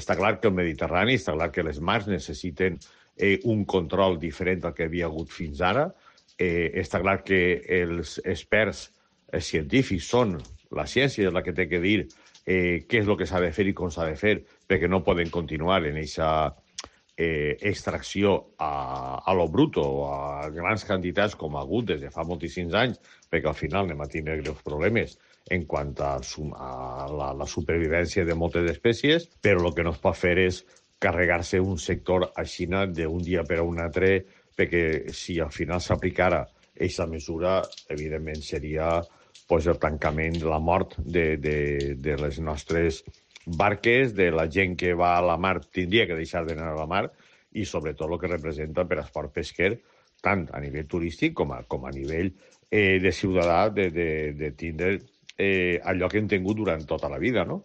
Està clar que el Mediterrani, està clar que les mars necessiten un control diferent del que havia hagut fins ara. Està clar que els experts científics són la ciència la que té que dir què és el que s'ha de fer i com s'ha de fer, perquè no poden continuar en aquesta extracció a lo bruto o a grans quantitats com ha hagut des de fa moltíssims anys, perquè al final anem a tindre greus problemes en quant a la supervivència de moltes espècies, però el que no es pot fer és carregar-se un sector a Xina d'un dia per a un altre, perquè si al final s'aplicara aquesta mesura, evidentment seria pues, el tancament, la mort de les nostres barques, de la gent que va a la mar, tindria que deixar d'anar a la mar, i sobretot el que representa per esport pesquer, tant a nivell turístic com a nivell de ciutadà, de tindre allò que hem tingut durant tota la vida, no?